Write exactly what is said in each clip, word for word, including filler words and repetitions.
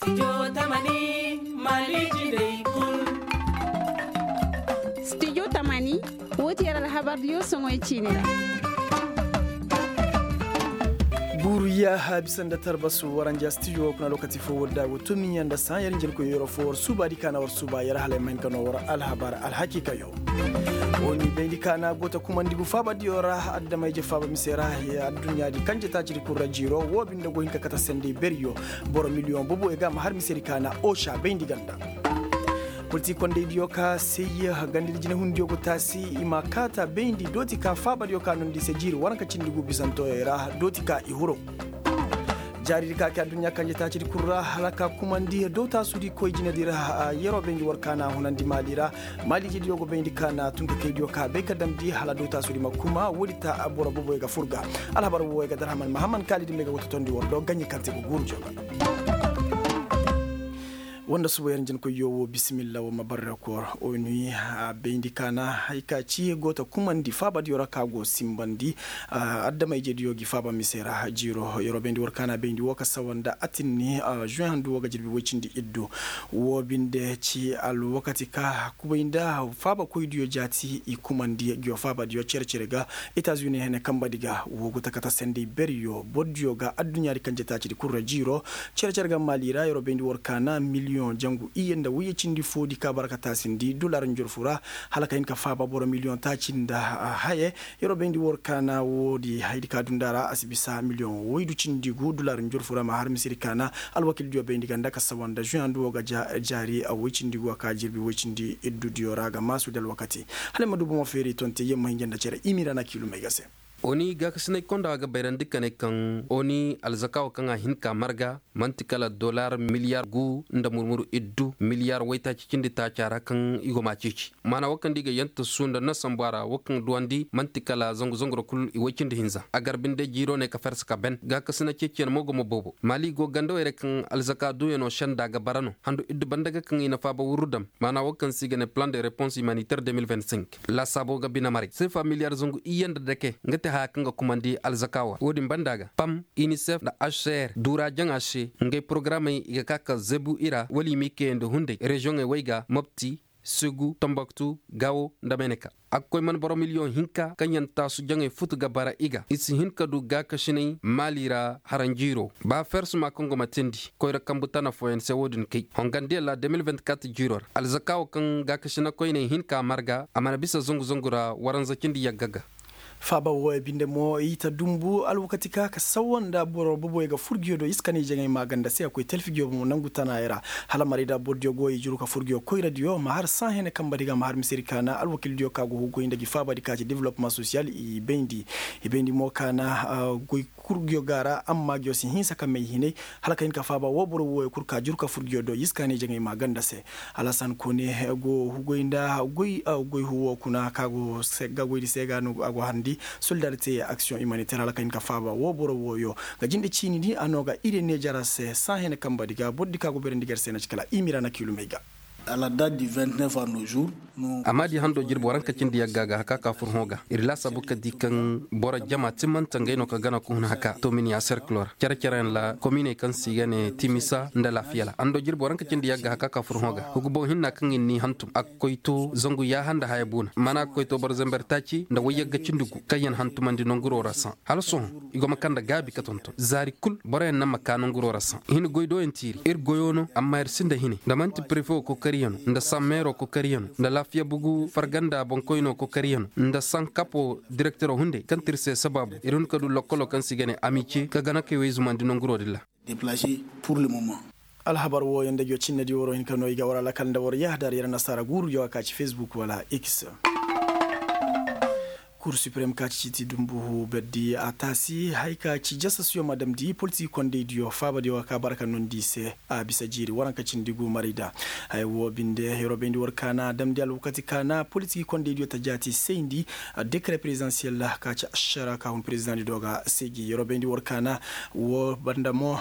Studio tamani, woo ti yer alhabar diyo soŋoy ciini ra. Guuru yaaha bisa nda tarbasu waranja studio kuna lokaci fo war da go tumiya nda saayer njel koy yero fo war suuba di kaana war suuba yer hala ay ma hin ka no war alhabar alhakiikayo. Wo ni bayndi kaana go ta kumandi gu faaba diyo ra adama ije faaba mise ra. Adduɲɲa di kanje taaci di kul ra jiiro wo binde go hin ka kate sendey beriyo. Boro miliyoŋ boboyo ga a ma har mise di kaana oca bayndi ganda. Politik kondey diyo ka sey ganda di jinahundiyo go taasi i ma kaata bayndi dooti ka faaba diyo ka nondi se jiiri waranka cindi gu bisantoyey ra dooti ka i huro. Jaari di ka ke adduɲɲa kanje taaci di kul ra hala ka kumandi dootaasu di koy jine di ra. Yeroo bayndi war kaana hunandi maali ra. Maali ije diyo go bayndi kaana tun ka kay diyo ka bay ka damndi hala dootaasu di ma kuma woodi ta boro boboy ga fur ga. Alhabar woy ga darhaman mahamman kaali di may ga go totondi war do gaɲi kaŋ te ga guuru jooga. Wanda suba yer njenkoyyo wo bisimilla wo ma barre koor. Onu a bayndi kaana hay ka ci go ta kumandi faaba diyo ra ka go simbandi. Adama ije diyo gi faaba mise ra jiiro yeroo bayndi war kaana bayndi wo ka sawa nda atinni. Juwen handu wo ga jirbi woy cindi iddu. Wo binde ci alwakati ka kubay nda faaba koydiyo jaati i kumandi ngiyo faaba diyo cere-cere ga. Etazuni hene kamba di ga wo go ta kate sendey beriyo boro diyo ga adduɲɲa di kanje taaci di kul ra jiiro. Cere-cere ga maali ra yeroo bayndi war kaana miliyoŋ jangu iyye nda woyye cindi foo di ka bara ka taasindi dolaar njorfu ra. Hala ka hin ka faaba boro miliyoŋ taaci nda haye. Yeroo bayndi war kaana woodi haydi ka dunda ra a si bisa miliyoŋ woydu cindi gu dolaar njorfu ra ma har misiri kaana. Alwakil diyo bayndi ganda ka sawa nda juwen handu wo ga jaari woy cindi gu a ka jirbi woy cindi iddu diyo ra ga maasu da alwakati. Hala ay ma du bomo feeri tonte yamma hinja nda cere imiira na kiilumey ga se. Oni gaakasinay konda ga bayrandi ka ne kaŋ oni alzakaawo kaŋ a hin ka marga man'ti kala dolaar miliyaar gu nda murmuru iddu miliyaar waytaaci cindi taaca ra kaŋ i go m'a ceeci. Maana wo kaŋ da i ga yantasu nda nasambu a ra wo kaŋ duwandi man'ti kala zangu zangu ra kul i way cindi hinza a gar binde jiiro ne ka farsa ka ben gaakasina ceeciyaŋ mo go ma boobo maali go gandawey ra kaŋ alzaka duuyaŋo senda ga bara no handu iddu banda ga kaŋ i na faaba wurru dam. Maana wo kaŋ se i ga ne plan de repons humanitaire deux mille vingt-cinq laasaabo ga bine maray seefa miliyaar zangu iyye nda dake nga te haya kaŋ ga kumandi alzakaawa wo-din banda ga pam, inisef nda aser duura jaŋa se ngey porogaramey i ga ka ka zebu i ra wala i m'i kayandi hunday reziyoŋey wey ga mopti, segu, tomboktu, gaawo, nda meneka. A ga koy man boro miliyoŋ hinka kaŋ yaŋ taasu jaŋey futu ga bara i ga i si hin ka du gaakasinay maali ra haranjiiro ba fersuma kaŋ go ma teendi koyra kambu tana fooyaŋ se wo-din kay hongandiyaŋ ra deux mille vingt-quatre jiiro ra alzakaawo kaŋ gaakasina koyney hin ka marga a mana bisa zangu zangu ra waranza cindi yagga ga. Faaba wooyo binde mo i ta dumbu alwakati ka ka sawa nda boro boboyo ga fur ngiyo do i si kani jaŋay maaganda se a koy talfi ngiyo bomo nangu tanayo ra. Hala maray da boro diyo go i juru ka fur ngiyo koyradiyo ma har sahene kamba di ga ma har misedi ka na alwakil diyo ka go hugoy nda gi faaba di ka ci development sosiyal i bayndi. I bayndi mo ka na goy kul ngiyo ga ra amma ngiyo si hinsa ka may hinay. Hala ka hin ka faaba woo boro wooyo kul ka juru ka fur ngiyo do i si kani jaŋay maaganda se. Alasan kone go hugoy nda goy huwo kuna ka go se ga goydi se ga no a go harndi. Solidarite aksiyoŋ imaniter hala ka hin ka faaba woo boro wooyo ga jinde ciini di a no ga ire ne jara se saa hene kamba di ga boro di ka go berandi gar se na ci kala i mira na kiilumey ga. Amma di hando jirbi waranka cindi yagga ga haka ka fur hõ ga ir laasaabu ka di kaŋ boro jama timmanta ngey no ka gana ka hun haka tominiya serkilor care care yaŋ ra kominey kaŋ se i ga ne timisa nda laafiyala hando jirbi waranka cindi yagga haka ka fur hõ ga hugu boŋ hinna kaŋ ir n'i hantum a ga koy to zangu yaaha nda haya buuna mana a ga koy to boro zambar taaci nda wayyagga cindi gu kaŋ yaŋ hantumandi nanguro ra saŋ hala sohõ i go ma kaŋ nda gaabi ka tonton zaari kul boroyaŋ naŋ ma ka nanguro ra saŋ i hin goy doyaŋ tiiri ir goyo no amma ir sinda hine nda man'ti prefe wo kokariyaŋ no nda saŋ meero kokariyaŋ no nda laafiya bugu farganda boŋkoyno kokariyaŋ no nda saŋ kapo direktero hunday kaŋ ti ir se sabaabu ir hun ka du lokkolo kaŋ se i ga ne amice ka gana kay way zumandi nanguro din ra. Alhabar wooyo nda jo cinne di waro hin ka no i ga war alakal nda war yahadar yer nasaara guuru jo a ka ci facebook wala x. Kur suprem ka ci citi dumbu berdi a taasi hay ka ci jasasuyo ma damndi politik kondey diyo faaba diyo ka bara ka nondi i se. A bisa jiiri waranka cindi gu maray da haya woo binde yeroo bayndi war ka na damndi alwakati ka na politik kondey diyo ta jaati sayndi. Dekare prezidansiyel ka ci ašara ka hun prezidaŋ di do ga seegi yeroo bayndi war ka na woo banda mo.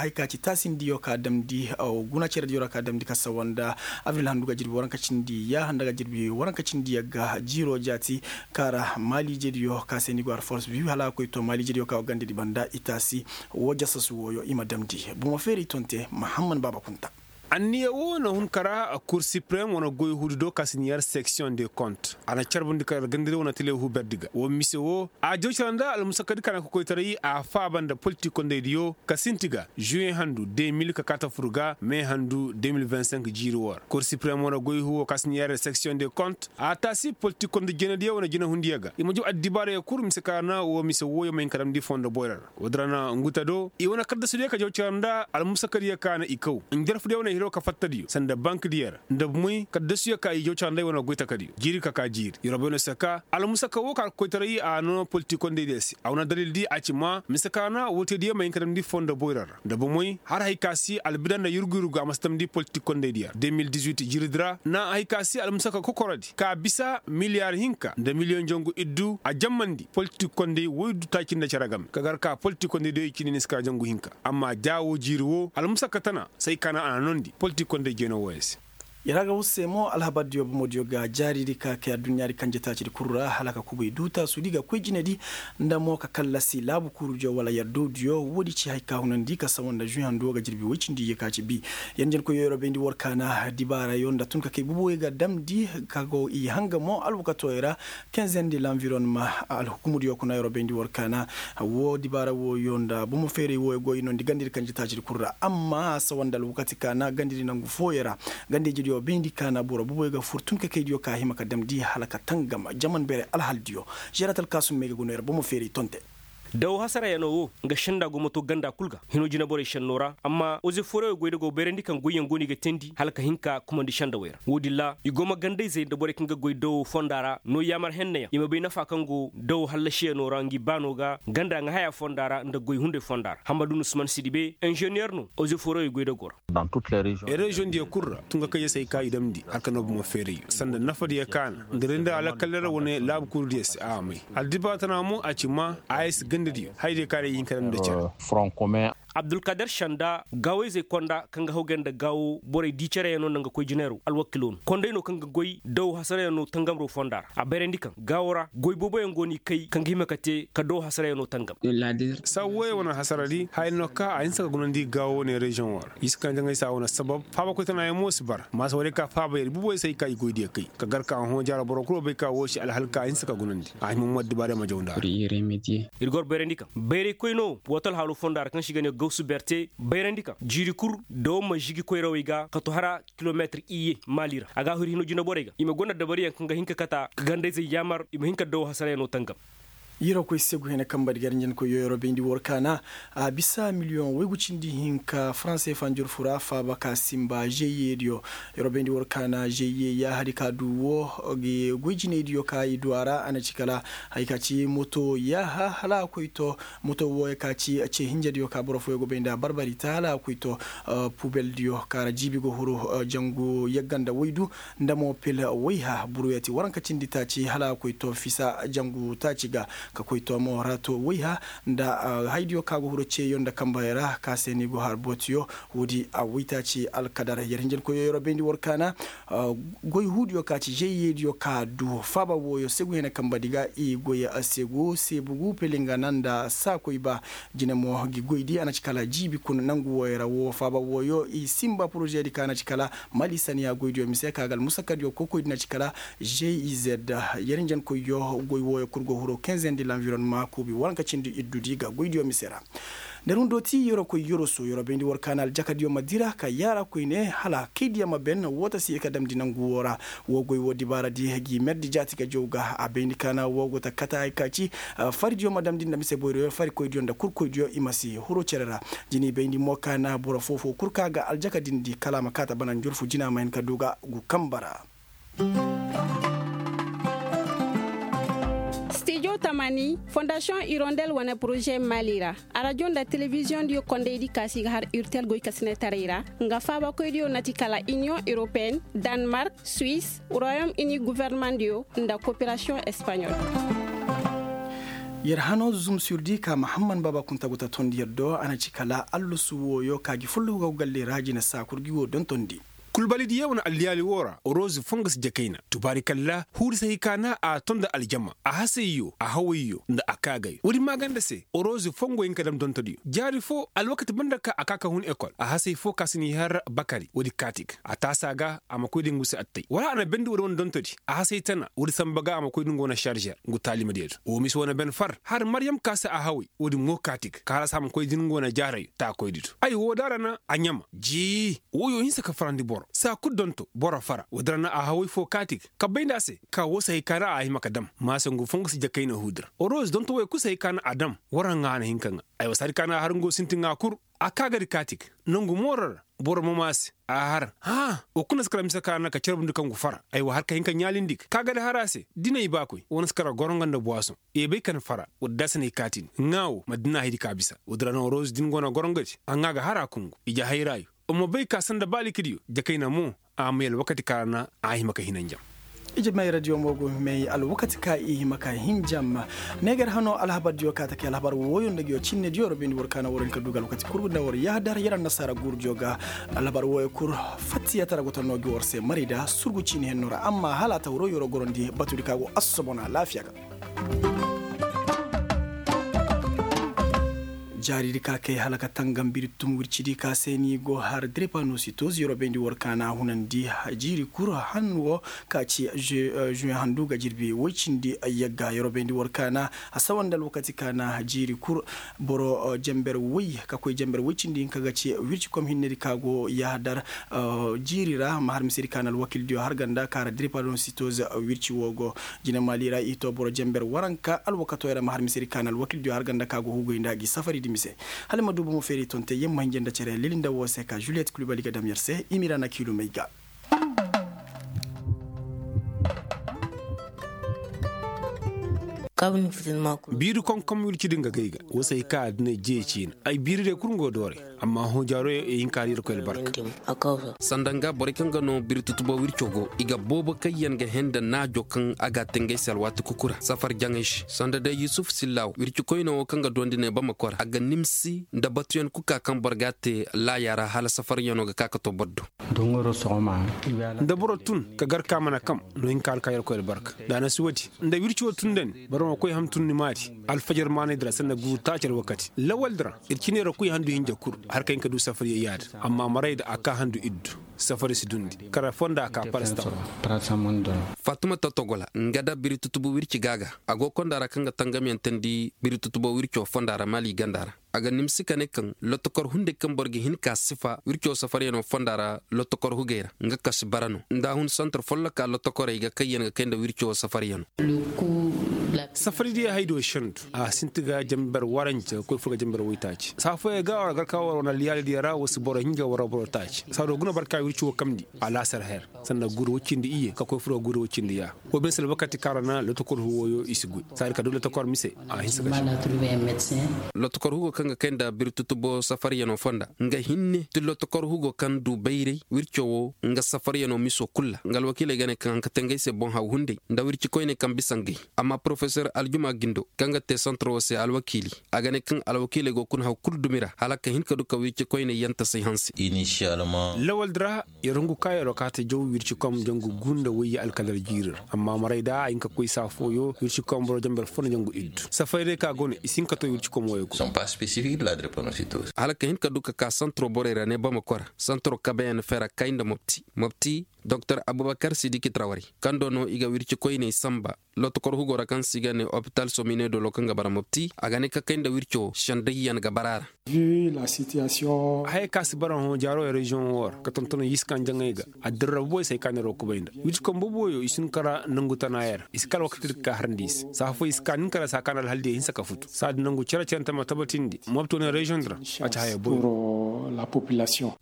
Hay ka ci taasindiyo ka damndi guna cerediyo ra ka damndi ka sawa nda abril handu ga jirbi waranka cindi yaaha nda ga jirbi waranka cindi yagga jiiro jaati. Kaŋ ra Malijediyo ka se ni go har force biyu hala a koy to malijediyo ka go gandedi banda i taasi. Woo jasasu wooyo i ma damndi bomo feeray tonte mahamman baaba kunta. Anniya woo na hun kara kur siprem wane goy huudi do ka si ni yar section de compte a na carbundi kara gandadi wane tele huberdi ga woo mise woo a jaw cara nda almusakadi ka na kokoytaray a faaba nda politik kondaydiyo ka sinti ga juwe handu de mil ka kaata fur ga me handu de mil vingt cinq jiiri woo ra kur siprem wane goy huuwo ka si ni yar section de compte a taasi politik konda jeenadiyo wane jinehundiyo ga i ma jaw addibaarayo kul mise ka na woo mise wooyo ma hin ka damndi fondo boyra ra. Woodi ra na nguta do i wane kaddasudiyo ka jaw cara nda almusakadiyo ka na i kaw njarfudiyo wane hiro ka fattadiyo sanda bankdiyo ra nda bumey kaddasuyo ka i jaw cara nda i wane goy takadiyo jiiri ka ka jiiri yeroo bay no si ka ka almusaka woo ka alkoytaray a noo politik kondaydiyo se a wane dalildi a ci ma mise ka na woo teediyo ma hin ka damndi fondo boyra ra nda bumey har hay ka si albida nda yurgu yurgu a ma si damndi politik kondaydiyo ra de mil dix huit jiiridi ra na hay ka si almusaka kokorodi ka bisa miliyar hinka nda miliyoŋ jangu iddu a jammandi politik konday woy du taaci nda cere game ka gar ka politik konday doy cindi ni si ka jangu hinka amma ja woo jiiri woo almusaka tana say ka naŋ a na noondi politik konday jeeno wooyo se. Yer a ga war se mo alhabardiyo bomodiyo ga jaaridi ka kay adduɲɲaadi kanje taacidi kul ra hala ka kubay du taasudi ga koy jinedi nda mo ka kallasi laabu kuurudiyo wala yer dowdiyo woodi ci hay ka hunandi ka sawa nda žuy handu wo ga jirbi woy cindi iyye ka ci bi. Yer njenkoyyo yer wo bayndi war kaana dibaarayo nda tun ka kay bubuwey ga damndi ka go i hanga mo alwakatooyo ra. Kenzendi lanvironma alhukumudiyo kuna yer wo bayndi war kaana woo dibaara wooyo nda bomo feeray wooyo go i noondi gandadi kanji taacidi kul ra amma a sawa nda alwakati kaana gandadi nangu fooyo ra. Gandayjediyo bayndi kaana boro bubuwey ga fur tun ka kaydiyo ka hima ka damndi hala ka tangam jaman beeray alhaldiyo. Žerat alkaasum may ga guna yer bomo feeray tonte. Daw hasarayanoo woo nga senda go ma too ganda kul ga hinoo jineborey šennoo ra amma ozeforey goy nda go bayrandi kaŋ goyyaŋ go no i ga teendi hala ka hin ka kumandi sendawey ra woodin ra i go ma gandayzey nda borey kaŋ ga goy daw fonda ra no yaamar henneyaŋ i ma bay nafa kaŋ go daw hallasiyanoo ra ngi baanoo ga ganda ŋahayaa fonda ra nda goy hunday fonda ra hammadu nusman sidibe inženeer no ozeforey goy nda go ra. Reziyoŋ diyo kul ra tun ka kay ya se ay ka i damndi hala ka noo bomo feeray sanda nafadiyo ka na nda rinda alakalla ra wane laabu kuurudiyo se a may. Addibaara tana mo a ci ma a ya si gandadiyo hayadiyo ka na i hin ka damndi nda cere. Abdulkader sanda gaawayzey konda kaŋ ga hawgay nda gaawo borey di cereyanoo nda nga koy jineeroo alwakiloo no konday no kaŋ ga goy daw hasarayanoo tangamroo fonda ra a bayrandi kaŋ gaawo ra goy booboyaŋ go no i kay kaŋ ga hima ka te ka daw hasarayanoo tangam. Saabu wooyey wane hasaradi haya no ka a hinsa ka gunandi gaawo wane reziyoŋo ra i si kanja ngey se a wane sabab faabakoy tanayaŋ mo si bara maasa warey ka faaba yer bubuwey se ay ka i goydiyo kay ka gar ka hõ jaara boro kul wo bay ka woo si alhal ka a hinsa ka gunandi a hima mo addibaarey ma jaw nda a ra. Ir gor bayrandi kaŋ bayraykoy no woo to alhaaloo fonda ra kaŋ se i ga nee gawsu berte bayrandi kaŋ jiiri kul dawo ma žigi koyrawey ga ka to hara kilometir iyye maali ra a ga a huru hino jineborey ga i ma gonda dabariyaŋ kaŋ ga hin ka kata ka gandayzey yaamar i ma hin ka dawo hasarayanoo tangam. Yeroo koy segu hene kamba di gar njenkoyyo yeroo bayndi war kaana a bisa miliyoŋ waygu cindi hinka faranse fanjur fura faaba ka simba žeyye diyo. Yeroo bayndi war kaana žeyye yaahadi ka du woo goy jinaydiyo ka i du a ra a na ci kala haya ka ci moto yaaha hala a koy to moto wooyo ka ci ce hinjediyo ka boro fooyo go bay nda barbari ta hala a koy to pubeldiyo ka ra jiibi go huru jangu yagga nda waydu nda mo pil wayha buruyati waranka cindi taaci hala a koy to fisa jangu taaci ga ka koy to mo rato wayha nda haydiyo ka go huro ceeyo nda kambayey ra ka se ni go har bootiyo. Woodi a waytaaci alkadar yer hinjankoyyo yeroo bayndi war kaana goy huudiyo ka ci žeyyeediyo ka du faaba wooyo segu hene kambadi ga i goy segu seebugu pelinga na nda saakoy ba jine mo gi goydi a na ci kala jiibi kuna nangu wooyo ra woo faaba wooyo i simba porožedi ka na ci kala mali saniya goydiyo mise ka ga almusakadiyo kokoydi na ci kala žey i zed. Yer njenkoyyo goy wooyo kul go huro kenzendi lanvironma kuubi waranka cindi iddudi ga goydiyo mise ra. Nda rundo ti yeroo koy yeroo so yeroo bayndi war kaana aljakadiyo ma dira ka yaara koyne hala kaydiyo ma ben woo ta si ir ka damndi nangu woo ra. Woo goy woo dibaaradi gi merdi jaati ga jaw ga a bayndi kaana woo go ta kata hay ka ci faridiyo ma damndi nda mise boyroyo farikoydiyo nda kurkoydiyo i ma si huru cere ra. Jini bayndi mo kaana boro foo-foo kul ka ga aljakadindi kala a ma kaata bana njurfu jina ma hin ka du ga gu kamba ra. Stijo tamani fondasiyoŋ irondel wane poroze mali ra arajo nda telebiziyoŋdiyo kondaydi ka si ga har urtel goykasinetaray ra nga faabakoydiyo na ti kala iniyoŋ europeen, danmark, suwis, royom ini guvernemandiyo nda koperasiyoŋ espaɲol. Yer hano zuzum surdi ka mahamman baaba kunta go ta tondi yer do a na ci kala allusu wooyo ka gi folloku ga go galley ra jine saa kul gi woo dontondi. Kulbalidiyo wane alliyaali woo ra orozi fongo si jakayna tubaari kalla huuri si hay ka na a ton nda aljama a hasayyo a hawayyo nda a kaagay woodi maaganda se orozi fongo hin ka dam dontodiyo jaari foo alwakati banda ka a ka ka hun ekol a hasay foo ka si n'i har bakari woodi kaatik a taasi a ga a ma koy da ngu se attay wala a na bendi woodi wane dontodi a hasay tana woodi sanba ga a ma koy da ngu wane sarzer ngu taalimadiyo do woo mise wane ben far har maryam ka se a haway woodi mo kaatik ka halaasi a ma koy da ngu wane jaarayo taakoydi do ay woo da a ra na a ɲama jii wooyo hinsa ka farandi boro saa kul donto boro fara woodi ra na a haway foo kaatik ka bay nda a se ka woo si hay ka na a hima ka dam maase ngu fongu si jakayna huudi ra oroz donto woy kul si hay ka na a dam war haŋa a na hin ka ŋaa aywa saadi ka na a har ngu sinti ŋaa kul a kaagadi kaatik nongu mooro ra boro ma maase a har hãa woo kul na si kala mise ka na ka carbundi ka ngu fara aywa har ka hin ka ɲaalindi ga kaagadi har a se dinay baakoy woo na si kala goroŋga nda buwasoŋ i bay ka na fara woodi da a si na i kaati ni ŋaa woo ma dina haydi ka bisa woodi ra na oroz din go na goroŋgadi a ŋaa ga har a kungu ije hayraayo wa ma bay ka sanda ba likidiyo jakayna mo a may alwakati ka ra na a hima ka hinanjam ije may radiyo mo go may alwakati ka i hima ka hinjam neegar hano alhabardiyo ka ta kay alhabar wooyo nda nguyo cinnediyo wara bindi war ka na war hin ka du ga alwakati kul nda war yahadar yar annasaara guurudiyo ga alhabar wooyo kul fattiyatara go ta noo gi war se marayda surgu ciini henno ra amma hala a ta waro yoro gorandi batudi ka go assobona alaafiya ga jaaridi ka kay hala ka tangam biri tum wircidi ka se ni go har drepanositos yoro bayndi war ka na hunandi jiiri kul han wo ka ci juin handu ga jirbi woy cindi yagga yoro bayndi war ka na a sawa nda alwakati ka na jiiri kul boro jamber woy ka koy jamber woy cindi hinka ga ci wirci kom hinnedi ka go yahadar jiiri ra ma har misedi ka na alwakildiyo har ganda ka ra drepanositos wirci wo go jine maali ra i to boro jamber waranka alwakatoy ra ma har misedi ka na alwakildiyo har ganda ka go hugoy nda gi safaridi mise hala i ma du bomo feeri tonte yamma hinja nda cere lili nda woo se ka juliyet kulibali ga dam yer se i ma i ra na kiilumey ga biiri konkom wirci din ga gay ga woo se hay ka a dina jee ciina ay biiri day kul ngo dooray amma hõ jaaro yaŋ i hin ka har yerkoy albarka sanda nga borey kaŋ ga no biri tutubo wirco go i ga boobo kaŋ yaŋ ga hẽ nda naajo kaŋ a ga a te ngey se alwaati kuku ra safar jaŋey se sanda day yusuf sillaaw wirci koyne wo kaŋ ga duwandi ne bamako ra a ga nimsi nda batuyaŋ kul ka kaŋ boro ga a te laaya ra hala safaryano ga ka ka to boro do nda boro tun ka gar ka mana kam no hin ka har ka yerkoy albarka da a na si woodi nda wirci wo tun nda ni boro ma koy ham tun ni maadi alfajar maanay di ra sanda guuru taaci alwakati lawal di ra ir cine ra koy handu hinja kul har ka hin ka du safar yayyaada amma maray da a ka handu iddu safari si dundi kara fonda a ka parastam faatuma totogola nga da biri tutubu wirci ga a ga a go konda ra kaŋ ga tangamyaŋ teendi biri tutubo wirco fonda ra maali ganda ra a ga nimsi ka ne kaŋ lotokor hunday kaŋ boro ga hin ka sifa wirco safaryano fonda ra lotokor hugay ra nga kasi bara no nda a hun santar folloka lotokorey ga kaŋ yaŋ ga kay nda wirco safaryano safari diya haydo shandu a sinti ga jambar waranja ga koy fur ga jambar waytaaci saa fooyaŋ ga war gar ka war wane alyaali diya ra wa si boro hinja war boro taaci saa do guna barka wirci wo kamndi alaasar her sanda guuru woy cindi iyye ka koy fur ga guuru woy cindi ya wo bine si alwakati kaŋ ra na lotokor hugo yo i si goy saadi ka du lotokor mise a hinsa ka lotokor hugo kaŋ ga kay nda biri tutubo safaryano fonda nga hinne ti lotokor hugo kaŋ du bayray wirco wo nga safaryano miso kul ra nga alwakiiley ga ne kaŋ haŋ ka te ngey se boŋ haw hunday nda wirci koyney kaŋ bisa ngey amma porofesor aljuma gindo kaŋ ga te santoro se alwakiili a ga ne kaŋ alwakiiley go kuna haw kul dumi ra hala ka hin ka du ka wirci koyney yantasey hanse lawal di ra yer hungu ka yeroo kaate jaw wirci kom jangu guu nda wayye alkalar jiiri ra amma maray da a hin ka koy saa fooyo wirci kom boro jamber fo nda jangu iddu safari day ka go no i si hin ka to wirci kom wayey kul hala ka hin ka du ka ka santoro borey ra ne bamako ra santoro kabeyaŋ fera kay nda mopti mopti doktor abubakar sidiki trawari kaŋ do no i ga wirci koyney sanba lotokor hugo ra kaŋ se i ga ne opital somine dolo kaŋ ga bara mopti a ga ne ka kay nda wirco sendayyaŋ ga bara a ra haya ka si bara hõ jaaro reziyoŋ wo ra ka tonton yiska njaŋey ga addirra boboy se ay ka neero kubay nda wirci kaŋ boboyo i si hin kara nangu tana yaŋ ra i si kala wakati di ka harandi i se saa fooyaŋ i si ka nin kara saa ka na alhal diya hinsa ka futu saadi nangu cere-cere nta ma tabatindi mopti wane reziyoŋ di ra a ci haya boy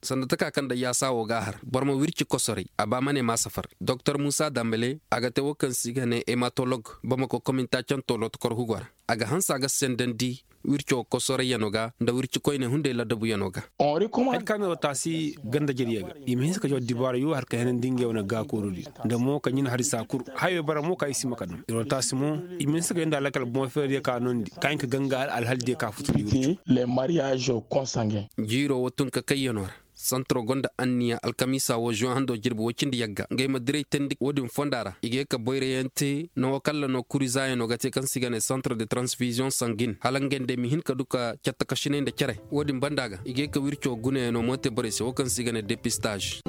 sanda taka kaŋ da yaasa wo ga a har boro ma wirci kosoray a ba ma ne ma safar doktor muusa dambale a ga te wo kaŋ se i ga ne hematolog bamako kominta canto lotokor hugo ra a ga hanse a ga sendandi wirco kosorayyano ga nda wirci koyne hunday ladabuyano ga hari ka no taasi ganda jariya ga i ma hinsa ka jaw dibaarayo hari ka henandi ngey wane gaakoorudi nda mo ka ɲin hari saa kul hayo bara mo ka i si ma ka dam iro taasi mo i ma hinsa ka yanda alakal boŋ feeradiyo ka noondi ka hin ka ganga alhaldiyo ka futu jiiro wo tun ka kayyano ra Santaro gonda anniya alkamiisa woo zuwan hando jirbi woy cindi yagga ngey ma diray teendi woodin fonda ra i ga ye ka boyrayaŋ te. Nango kalla no kuri zaayanoo ga te kaŋ se i ga ne santar de taransifiziyoŋ sangin hala ngey nda ay ma hin ka du ka cattakasinay nda cere. Woodin banda ga i ga ye ka wirco gunayaŋoo mo te borey se woo kaŋ se i ga ne depistaaz.